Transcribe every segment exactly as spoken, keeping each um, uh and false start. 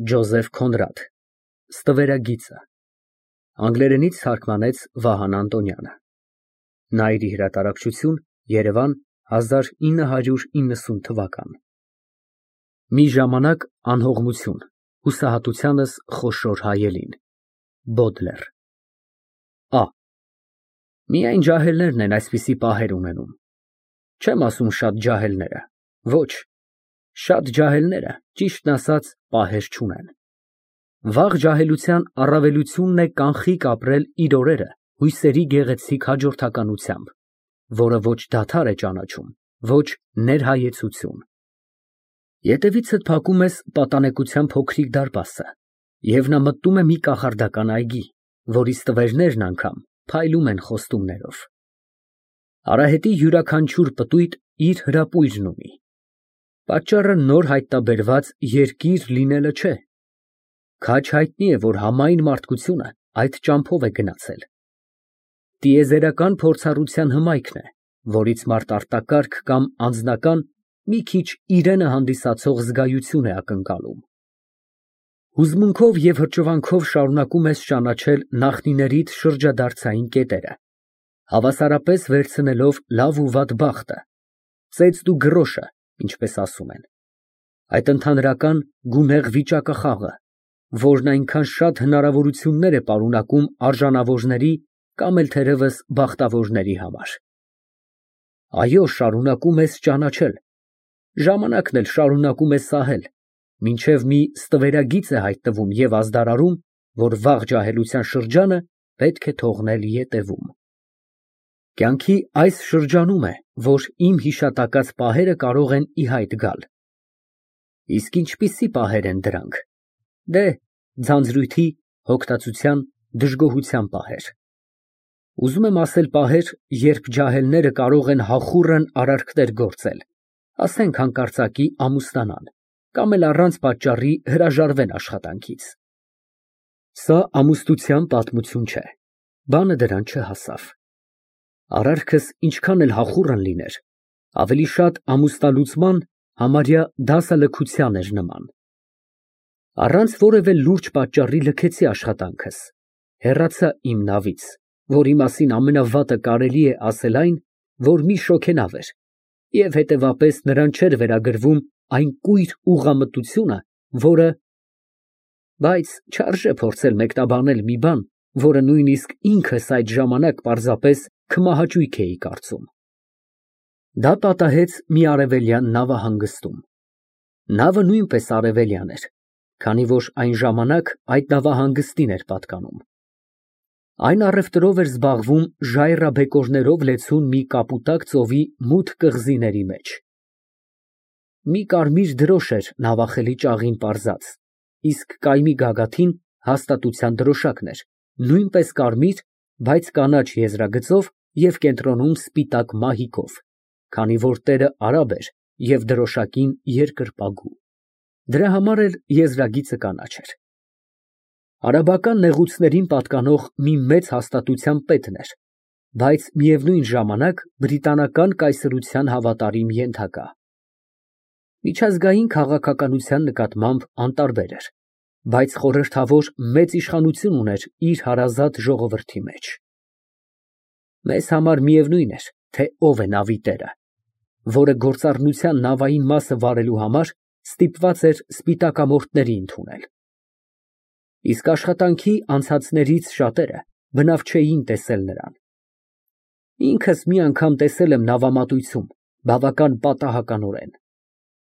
Ջոզեֆ Քոնրադ, Ստվերագիծը, անգլերենից թարգմանեց Վահան Անտոնյանը, Նայիրի հրատարակչություն, Երևան, հազար ինը հարյուր իննսուն թվական։ Մի ժամանակ անհողմություն, հուսահատությանս խոշոր հայելին։ Բոդլեր։ Ա Միայն ջահելներն են այսպիսի պահեր ունենում։ Չեմ ասում շատ ջահելները, ոչ, շատ ջահելները, ճիշտն ասած, պահեր չունեն։ Վաղ ջահելության առավելությունն է կանխիկ ապրել իր օրերը հույսերի գեղեցիկ հաջորդականությամբ, որը ոչ դադար է ճանաչում, ոչ ներհայեցություն։ Ետևիցդ փակում ես պատանեկության փոքրիկ դարպասը, և նա մտնում է մի կախարդական այգի, որի ստվերներն անգամ փայլում են խոստումներով։ Արահետի յուրաքանչյուր պտույտ իր հրապույրն ունի։ Պատճառը նոր հայտնաբերված երկիր լինելը չէ։ Քաջ հայտնի է, որ համայն մարդկությունը այդ ճամփով է գնացել։ Տիեզերական փորձառության հմայքն է, որից մարդ արտակարգ կամ անձնական մի քիչ իրենը հանդիսացող զգայություն է ակնկալում։ Հուզմունքով և հրճվանքով շարունակում ես ճանաչել նախնիներիդ շրջադարձային կետերը, հավասարապես վերցնելով լավ ու վատ բախտը, ծեծն ու գրոշը, ինչպես ասում են, այդ ընդհանրական գունեղ վիճակախաղը, որն այնքան շատ հնարավորություններ է պարունակում արժանավորների կամ էլ թերևս բախտավորների համար։ Այո, շարունակում ես ճանաչել, ժամանակն էլ շարունակում է սահել, մինչև մի ստվերագիծ է հայտնվում և ազդարարում, որ վաղ ջահելության շրջանը պետք է թողնել ետևում։ Կյանքի այս շրջանում է, որ իմ հիշատակած պահերը կարող են ի հայտ գալ։ Իսկ ինչպիսի պահեր են դրանք։ Դե, ձանձրույթի, հոգտածության, դժգոհության պահեր։ Ուզում եմ ասել պահեր, երբ ջահելները կարող են հախուռն արարքներ գործել, ասենք հանկարծակի ամուսնանան, կամ էլ առանց պատճառի հրաժարվեն աշխատանքից։ Սա ամուսնության պատմություն չէ, բանը դրան չհասավ։ Արարքս ինչքան էլ հախուռն լիներ, ավելի շատ ամուսնալուծման, համարյա դասալքության էր նման։ Առանց որևէ լուրջ պատճառի լքեցի աշխատանքս, հեռացա իմ նավից, որի մասին ամենավատը կարելի է ասել այն, որ մի շոգենավ էր, և հետևապես նրան չէր վերագրվում այն կույր ուղղամտությունը, որը… Բայց չարժե փորձել մեկնաբանել մի բան, որը նույնիսկ ինքս այդ ժամանակ պարզապես քմահաճույք էի կարծում։ Դա պատահեց մի արևելյան նավահանգստում։ Նավը նույնպես արևելյան էր, քանի որ այն ժամանակ այդ նավահանգստին էր պատկանում։ Այն առևտրով էր զբաղվում ժայռաբեկորներով լեցուն մի կապուտակ ծովի մութ կղզիների մեջ։ Մի կարմիր դրոշ էր նավախելի ճաղին պարզած, իսկ կայմի գագաթին հաստատության դրոշակն էր, նույնպես կարմիր, բայց կանաչ եզրագծով և կենտրոնում սպիտակ մահիկով, քանի որ տերը արաբ էր և դրոշակին երկրպագու։ Դրա համար էլ եզրագիծը կանաչ էր։ Արաբական նեղուցներին պատկանող մի մեծ հաստատության պետն էր, բայց միևնույն ժամանակ բրիտանական կայսրության հավատարիմ ենթակա։ Միջազգային քաղաքականության նկատմամբ անտարբեր էր, բայց խորհրդավոր մեծ իշխանություն ուներ իր հարազատ ժողովրդի մեջ։ Մեզ համար միևնույն էր, թե ով է նավի տերը, որը գործառնության նավային մասը վարելու համար ստիպված էր սպիտակամորթների ընդունել։ Իսկ աշխատանքի անցածներից շատերը բնավ չէին տեսել նրան։ Ինքս մի անգամ տեսել եմ նավամատույցում, բավական պատահականորեն։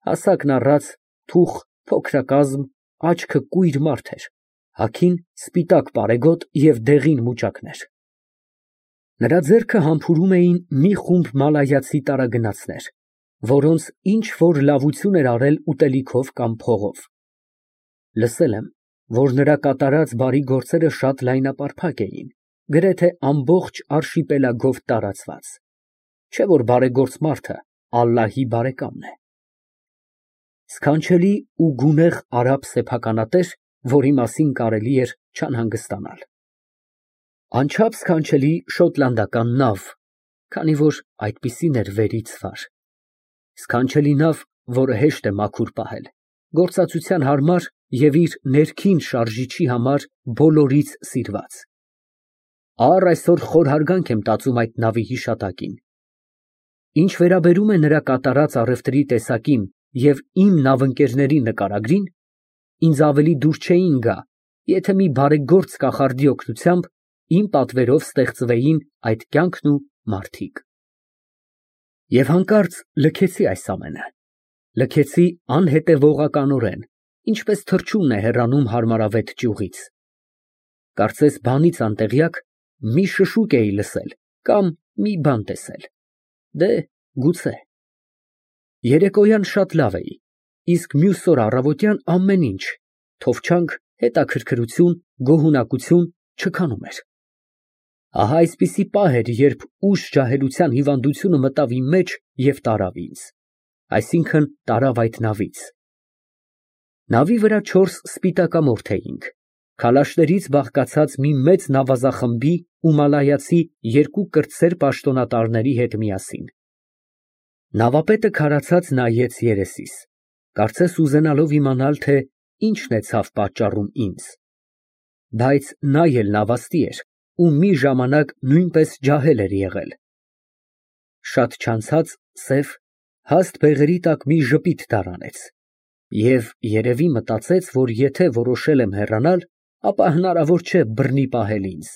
Հասակն առած, թուխ, փոքրակազմ, աչքը կույր մարդ էր, հագին սպիտակ պարեգոտ և դեղին մուճակներ։ Նրա ձեռքը համբուրում էին մի խումբ մալայացի տարագնացներ, որոնց ինչ֊որ լավություն էր արել ուտելիքով կամ փողով։ Լսել եմ, որ նրա կատարած բարի գործերը շատ լայնապարփակ էին, գրեթե ամբողջ արշիպելագով տարածված, չէ՞ որ բարեգործ մարդը ալլահի բարեկամն է։ Սքանչելի ու գունեղ արաբ սեփականատեր, որի մասին կարելի էր չանհանգստանալ։ Անչափ սքանչելի շոտլանդական նավ, քանի որ այդպիսին էր վերից վար։ Սքանչելի նավ, որը հեշտ է մաքուր պահել, գործածության հարմար և իր ներքին շարժիչի համար բոլորից սիրված։ Առ այսօր խորհարգանք եմ տածում այդ նավի հիշատակին։ Ինչ վերաբերում է նրա կատարած առևտրի տեսակին և իմ նավընկերների նկարագրին, ինձ ավելի դուր չէին գա, եթե մի բարեգործ կախարդի օգնությամբ իմ պատվերով ստեղծվեին այդ կյանքն ու մարդիկ։ Եվ հանկարծ լքեցի այս ամենը, լքեցի անհետևողականորեն, ինչպես թռչունն է հեռանում հարմարավետ ճյուղից։ Կարծես բանից անտեղյակ մի շշուկ էի լսել կամ մի բան տեսել։ Դե, գուցե։ Երեկոյան շատ լավ էի, իսկ մյուս օր առավոտյան ամեն ինչ՝ թովչանք, հետաքրքրություն, գոհունակություն չքանում էր։ Ահա այսպիսի պահ էր, երբ ուշ ջահելության հիվանդությունը մտավ իմ մեջ և տարավ ինձ, այսինքն՝ տարավ այդ նավից։ Նավի վրա չորս սպիտակամորթ էինք, քալաշներից բաղկացած մի մեծ նավազախմբի ու մալայացի երկու կրտսեր պաշտոնատարների հետ միասին։ Նավապետը քարացած նայեց երեսիս, կարծես ուզենալով իմանալ, թե ինչն է ցավ պատճառում ինձ։ Բայց նա էլ նավաստի էր ու մի ժամանակ նույնպես ջահել էր եղել։ Շատ չանցած սև, հաստ բեղերի տակ մի ժպիտ դարանեց և երևի մտածեց, որ եթե որոշել եմ հեռանալ, ապա հնարավոր չէ բռնի պահել ինձ։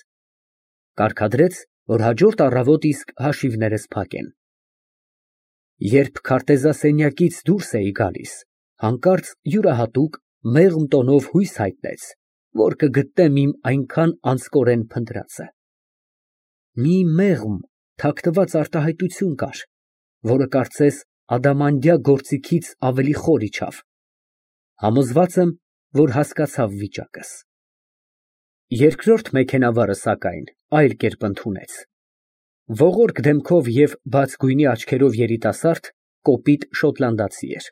Կարգադրեց, որ հաջորդ առավոտ իսկ հաշիվներս փակեն։ Երբ քարտեզասենյակից դուրս էի գալիս, հանկարծ յուրահատուկ, մեղմ տոնով հույս հայտնեց, որ կգտնեմ իմ այնքան անձկորեն փնտրածը։ Մի մեղմ, թաքնված արտահայտություն կար, որը կարծես ադամանդյա գործիքից ավելի խոր իջավ։ Համոզված եմ, որ հասկացավ վիճակս։ Երկրորդ մեքենավարը, սակայն, այլ կերպ ընդունեց։ Ողորկ դեմքով և բաց գույնի աչքերով երիտասարդ, կոպիտ շոտլանդացի էր։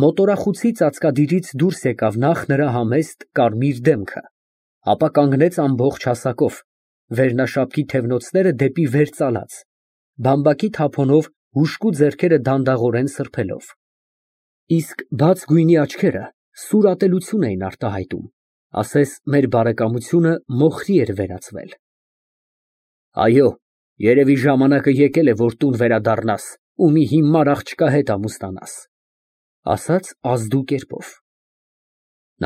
Մոտորախուցի ծածկադիրից դուրս եկավ նախ նրա համեստ, կարմիր դեմքը, ապա կանգնեց ամբողջ հասակով, վերնաշապքի թևնոցները դեպի վեր ծալած, բամբակի թափոնով հուժկու ձեռքերը դանդաղորեն սրբելով։ Իսկ բաց գույնի աչքերը սուր ատելություն էին արտահայտում, ասես մեր բարեկամությունը մոխրի էր վերածվել։ Այո, երևի ժամանակը եկել է, որ տուն վերադառնաս ու մի հիմար աղջկա հետ ամուսնանաս, ասաց ազդու կերպով։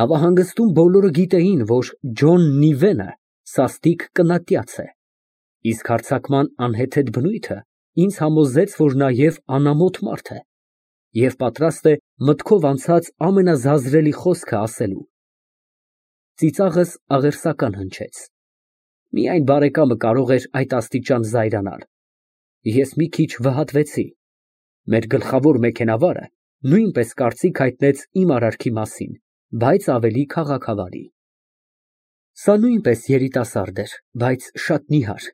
Նավահանգստում բոլորը գիտեին, որ Ջոն Նիվենը սաստիկ կնատյաց է, իսկ հարձակման անհեթեթ բնույթը ինձ համոզեց, որ նաև անամոթ մարդ է և պատրաստ է մտքով անցած ամենազազրելի խոսքը ասելու։ Ծիծաղս աղերսական հնչեց։ Միայն բարեկամը կարող էր այդ աստիճան զայրանալ։ Ես մի քիչ վհատվեցի։ Մեր գլխավոր մեքենավարը նույնպես կարծիք հայտնեց իմ արարքի մասին, բայց ավելի քաղաքավարի։ Սա նույնպես երիտասարդ էր, բայց շատ նիհար։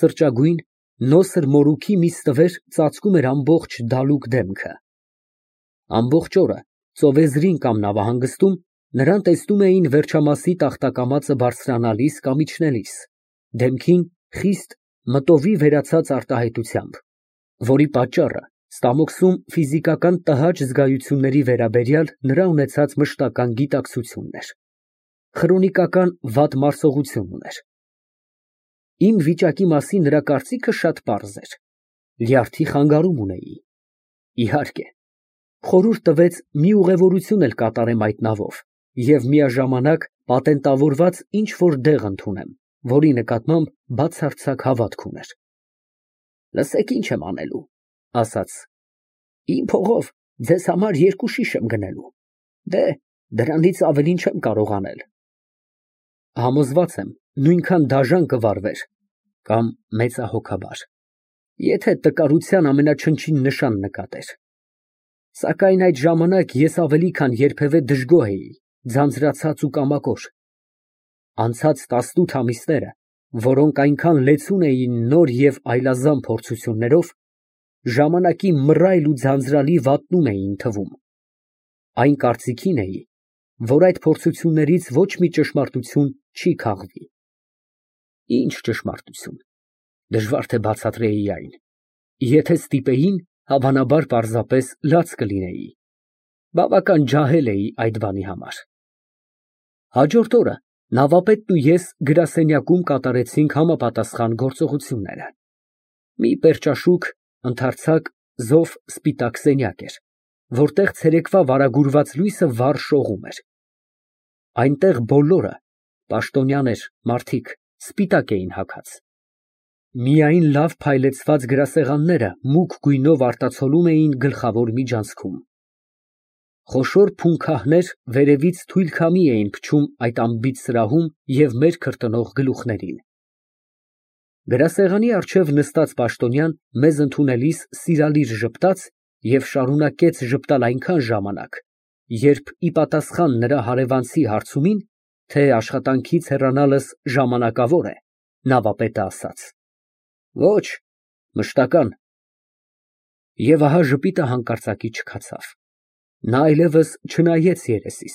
Սրճագույն, նոսր մորուքի մի ստվեր ծածկում էր ամբողջ դալուկ դեմքը։ Ամբողջ օրը, ծովեզրին կամ նավահանգստում, նրան տեսնում էին վերջամասի տախտակամածը բարձրանալիս կամ իջնելիս, դեմքին խիստ մտովի վերացած արտահայտությամբ, որի պատճառը ստամոքսում ֆիզիկական տհաճ զգայությունների վերաբերյալ նրա ունեցած մշտական գիտակցությունն էր։ Խրոնիկական վատ մարսողություն ուներ։ Իմ վիճակի մասին նրա կարծիքը շատ պարզ էր։ Լյարդի խանգարում ունեի։ Իհարկե, խորհուրդ տվեց մի ուղևորություն էլ կատարեմ այդ նավով և միաժամանակ պատենտավորված ինչ֊որ դեղ ընդունեմ, որի նկատմամբ բացարձակ հավատք ուներ։ Լսեք, ինչ եմ անելու, ասաց. Իմ փողով ձեզ համար երկու շիշ եմ գնելու։ Դե, դրանից ավելին չեմ կարող անել։ Համոզված եմ, նույնքան դաժան կվարվեր կամ մեծահոգաբար, եթե տկարության ամենաչնչին նշան նկատեր։ Սակայն այդ ժամանակ ես ավելի քան երբևէ դժգոհ էի, ձանձրացած ու կամակոր։ Անցած տասնութ ամիսները, որոնք այնքան լեցուն էին նոր և այլազան փորձություններով, ժամանակի մռայլ ու ձանձրալի վատնում էին թվում։ Այն կարծիքին էի, որ այդ փորձություններից ոչ մի ճշմարտություն չի քաղվի։ Ինչ ճշմարտություն, դժվար թե բացատրեի այն։ Եթե ստիպեին, հավանաբար պարզապես լաց կլինեի։ Բավական ջահել էի այդ բանի համար։ Հաջորդ օրը նավապետն ու ես գրասենյակում կատարեցինք համապատասխան գործողությունները։ Մի պերճաշուք, ընդարձակ, զով սպիտակ սենյակ էր, որտեղ ցերեկվա վարագուրված լույսը վառ շողում էր։ Այնտեղ բոլորը, պաշտոնյաներ, մարդիկ, սպիտակ էին հագած։ Միայն լավ փայլեցված գրասեղանները մուգ գույնով արտացոլում էին գլխավոր միջանցքում։ Խոշոր փունքահներ վերևից թույլ քամի էին փչում այդ անբիծ սրահում և մեր քրտնող գլուխներին։ Գրասեղանի առջև նստած պաշտոնյան մեզ ընդունելիս սիրալիր ժպտաց և շարունակեց ժպտալ այնքան ժամանակ, երբ ի պատասխան նրա հարևանցի հարցումին, թե աշխատանքից հեռանալս ժամանակավոր է, նավապետը ասաց. Ոչ, մշտական։ Եվ ահա ժպիտը հանկարծակի չքացավ։ Նա այլևս չնայեց երեսիս,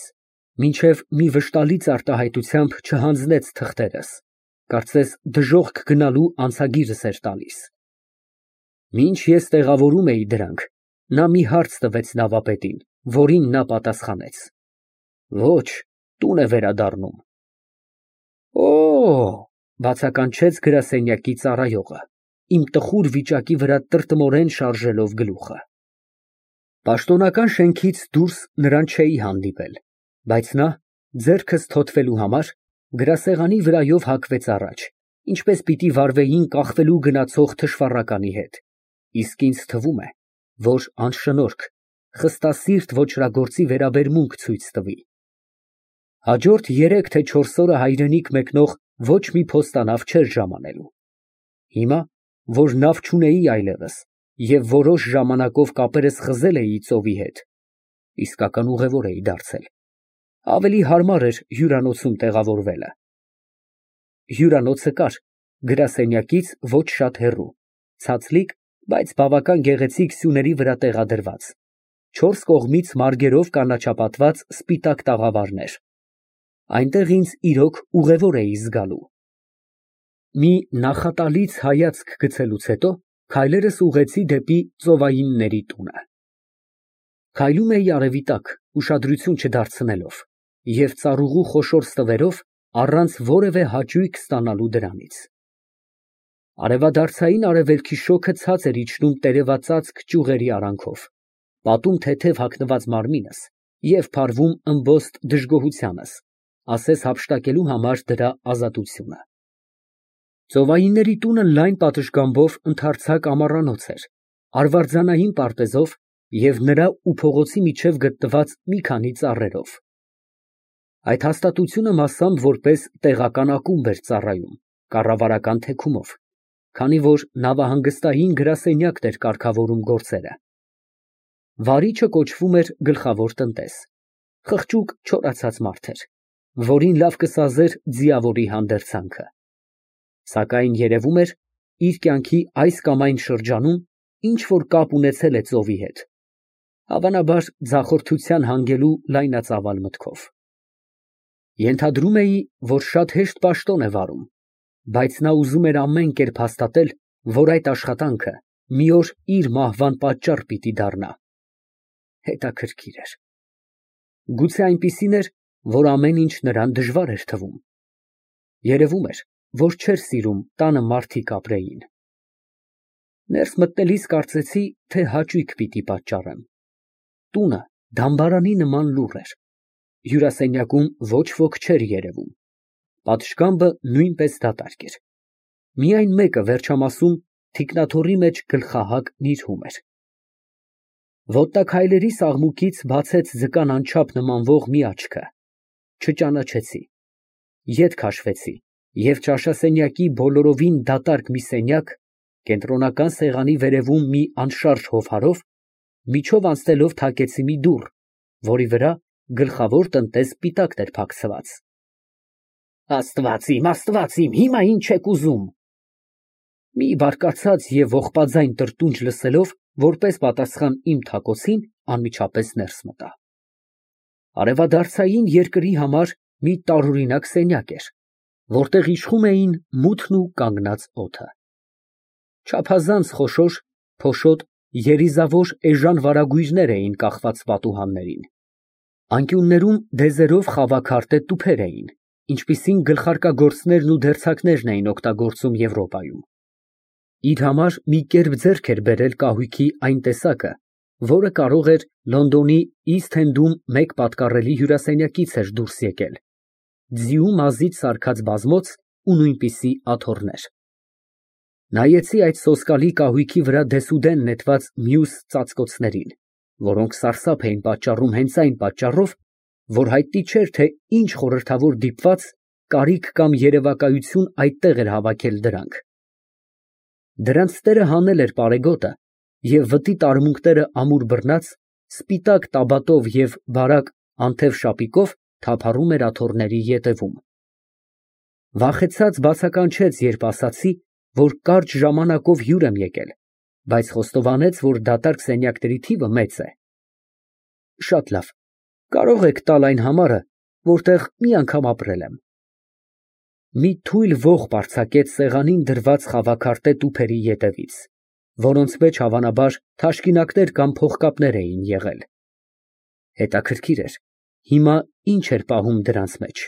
մինչև մի վշտալից արտահայտությամբ չհանձնեց թղթերս, կարծես դժոխք գնալու անցագիրս էր տալիս։ Մինչ ես տեղավորում էի դրանք, նա մի հարց տվեց նավապետին, որին նա պատասխանեց. Ոչ, տուն է վերադառնում։ Օ, բացականչեց գրասենյակի ծառայողը, իմ տխուր վիճակի վրա տրտմորեն շարժելով գլուխը։ Պաշտոնական շենքից դուրս նրան չէի հանդիպել, բայց նա, ձեռքս թոթվելու համար, գրասեղանի վրայով հագվեց առաջ, ինչպես պիտի վարվեին կախվելու գնացող թշվառականի հետ, իսկ ինձ թվում է, որ անշնորհք, խստասիրտ ոճրագործի վերաբերմունք ցույց տվի։ Հաջորդ երեք թե չորս օրը հայրենիք մեկնող ոչ մի փոստանավ չէր ժամանելու։ Հիմա, որ նավ չունեի այլևս և որոշ ժամանակով կապերս խզել էի ծովի հետ, իսկական ուղևոր էի դարձել, ավելի հարմար էր հյուրանոցում տեղավորվելը։ Հյուրանոցը կար գրասենյակից ոչ շատ հեռու, ցածլիկ, բայց բավական գեղեցիկ սյուների վրա տեղադրված, չորս կողմից մարգերով կանաչապատված սպիտակ տաղավարներ։ Այնտեղ ինձ իրոք ուղևոր էի զգալու։ Մի նախատալից հայացք գցելուց հետո քայլերս ուղղեցի դեպի ծովայինների տունը։ Քայլում էի արևի տակ, ուշադրություն չդարձնելով և ծառուղու խոշոր ստվերով, առանց որևէ հաճույք ստանալու դրանից։ Արևադարձային արևելքի շոգը ցած էր իջնում տերևածածկ ճյուղերի արանքով, պատում թեթև հագնված մարմինս և փարվում ըմբոստ դժգոհությանս, ասես հափշտակելու համար դրա ազատությունը։ Ծովայինների տունը լայն պատշգամբով ընդարձակ ամառանոց էր, արվարձանային պարտեզով և նրա ու փողոցի միջև գտնված մի քանի ծառերով։ Այդ հաստատությունը մասամբ որպես տեղական ակումբ էր ծառայում, կառավարական թեքումով, քանի որ նավահանգստային գրասենյակն էր կարգավորում գործերը։ Վարիչը կոչվում էր գլխավոր տնտես, խղճուկ չորացած մարդ էր, որին լավ կսազեր ձիավորի հանդերձանքը։ Սակայն երևում էր, իր կյանքի այս կամ այն շրջանում ինչ֊որ կապ ունեցել է ծովի հետ, հավանաբար ձախորդության հանգելու լայնածավալ մտքով։ Ենթադրում էի, որ շատ հեշտ պաշտոն է վարում, բայց նա ուզում էր ամեն կերպ հաստատել, որ այդ աշխատանքը մի օր իր մահվան պատճառ պիտի դառնա։ Հետաքրքիր էր։ Գուցե այնպիսին էր, որ ամեն ինչ նրան դժվար էր թվում։ Երևում էր, որ չէր սիրում տանը մարդիկ ապրեին։ Ներս մտնելիս կարծեցի, թե հաճույք պիտի պատճառեմ։ Տունը դամբարանի նման լուռ էր։ Հյուրասենյակում ոչ ոք չէր երևում։ Պատշգամբը նույնպես դատարկ էր։ Միայն մեկը վերջամասում թիկնաթոռի մեջ գլխահակ նիրհում էր։ Ոտնաքայլերիս աղմուկից բացեց ձկան անչափ նմանվող մի աչքը։ Չճանաչեցի։ Ետ քաշվեցի և ճաշասենյակի բոլորովին դատարկ մի սենյակ, կենտրոնական սեղանի վերևում մի անշարժ հովհարով, միջով անցնելով թակեցի մի դուռ, որի վրա գլխավոր տնտես պիտակն էր փակցված։ Աստված իմ, Աստված իմ, հիմա ինչ եք ուզում։ Մի բարկացած և ողբաձայն տրտունջ լսելով, որպես պատասխան իմ թակոցին, անմիջապես ներս մտա։ Արևադարձային երկրի համար մի տարօրինակ սենյակ էր, որտեղ իշխում էին մութն ու կանգնած օդը։ Չափազանց խոշոր, փոշոտ երիզավոր էժան վարագույրներ էին կախված պատուհաններին։ Անկյուններում դեզերով խավաքարտե տուփեր էին, ինչպիսին գլխարկագործներն ու դերձակներն էին օգտագործում Եվրոպայում։ Իր համար մի կերպ ձեռք էր բերել կահույքի այն տեսակը, որը կարող էր Լոնդոնի Իսթ Էնդում մեկ պատկառելի հյուրասենյակից էր դուրս եկել, ձիու մազից սարքած բազմոց ու նույնպիսի աթոռներ։ Նայեցի այդ սոսկալի կահույքի վրա դեսուդեն նետված մյուս ծածկոցներին, որոնք սարսափ էին պատճառում հենց այն պատճառով, որ հայտնի չէր, թե ինչ խորհրդավոր դիպված, կարիք կամ երևակայություն այդտեղ էր հավաքել դրանք։ Դրանց տերը հանել էր պարեգոտը, և վտի տարմունքները ամուր բռնած, սպիտակ տաբատով և բարակ անթև շապիկով թափառում էր աթոռների ետևում։ Վախեցած բացականչեց, երբ ասացի, որ կարճ ժամանակով հյուր եմ եկել, բայց խոստովանեց, որ դատարկ սենյակների թիվը մեծ է։ Շատ լավ, կարող եք տալ այն համարը, որտեղ մի անգամ ապրել եմ։ Մի թույլ ոխ պարձակեց սեղանին դրված խավաքարտե տուփերի ետևից, որոնց մեջ հավանաբար թաշկինակներ կամ փողկապներ էին եղել։ Հետաքրքիր էր, հիմա ինչ էր պահում դրանց մեջ։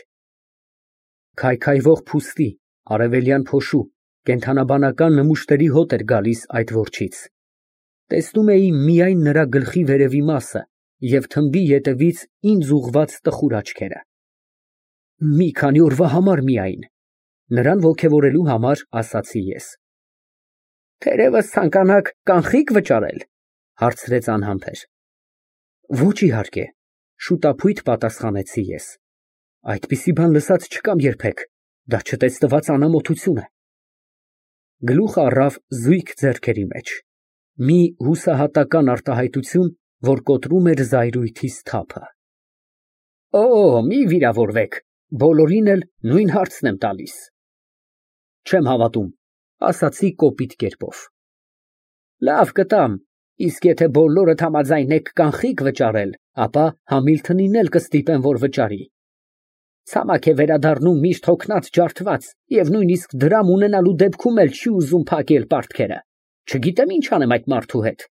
Քայքայվող փուստի, արևելյան փոշու, կենդանաբանական նմուշների հոտ էր գալիս այդ որջից։ Տեսնում էի միայն նրա գլխի վերևի մասը և թմբի ետևից ինձ ուղղված տխուր աչքերը։ Մի քանի օրվա համար միայն, նրան ոգևորելու համար ասացի ես։ Թերևս ցանկանաք կանխիկ վճարել, հարցրեց անհամբեր։ Ոչ իհարկե, շուտափույթ պատասխանեցի ես։ Այդպիսի բան լսած չկամ երբեք, դա չտեսնված անամոթություն է։ Գլուխը առավ զույգ ձեռքերի մեջ, մի հուսահատական արտահայտություն, որ կոտրում էր զայրույթիս թափը։ Օ, մի վիրավորվեք, բոլորին էլ նույն հարցն եմ տալիս։ Չեմ հավատում, ասացի կոպիտ կերպով։ Լավ կտամ, իսկ եթե բոլորդ համաձայն եք կանխիկ վճարել, ապա Համիլթոնին էլ կստիպեմ, որ վճարի։ Ցամաք է վերադառնում միշտ հոգնած ջարդված և նույնիսկ դրամ ունենալու դեպքում էլ չի ուզում փակել պարտքերը։ Չգիտեմ ինչ անեմ այդ մարդու հետ։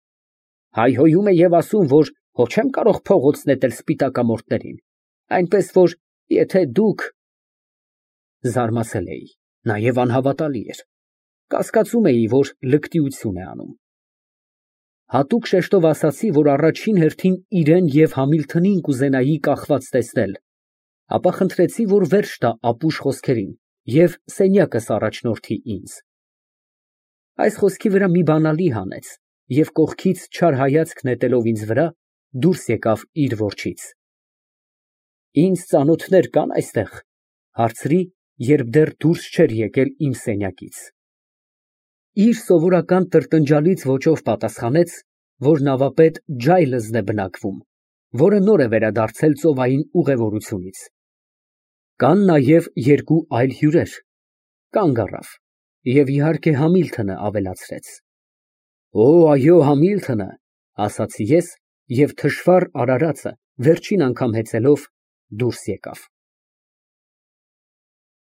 Հայհոյում է և ասում, որ հո չեմ կարող փողոց նետել սպիտակամորթներին, այնպես որ եթե դուք… Զարմացել էի, նաև անհավատալի էր։ Կասկածում էի, որ լկտիություն է անում։ Հատուկ շեշտով ասացի, որ առաջին հերթին իրան և Համիլթոնին կուզենայի կախված տեսնել, ապա խնդրեցի, որ վերջ տա ապուշ խոսքերին և սենյակս առաջնորդի ինձ։ Այս խոսքի վրա մի բանալի հանեց և կողքից չար հայացք նետելով ինձ վրա, դուրս եկավ իր որջից։ Ինձ ծանոթներ կա՞ն այստեղ, հարցրի, երբ դեռ դուրս չէր եկել իմ սենյակից։ Իր սովորական տրտնջալից ոճով պատասխանեց, որ նավապետ Ջայլզն է բնակվում, որը նոր է վերադարձել ծովային ուղևորությունից։ Կան նաև երկու այլ հյուրեր։ Կանգ առավ և իհարկե Համիլթոնը ավելացրեց։ Օ, այո, Համիլթոնը, ասացի ես և թշվառ արարածը վերջին անգամ հեծելով դուրս եկավ։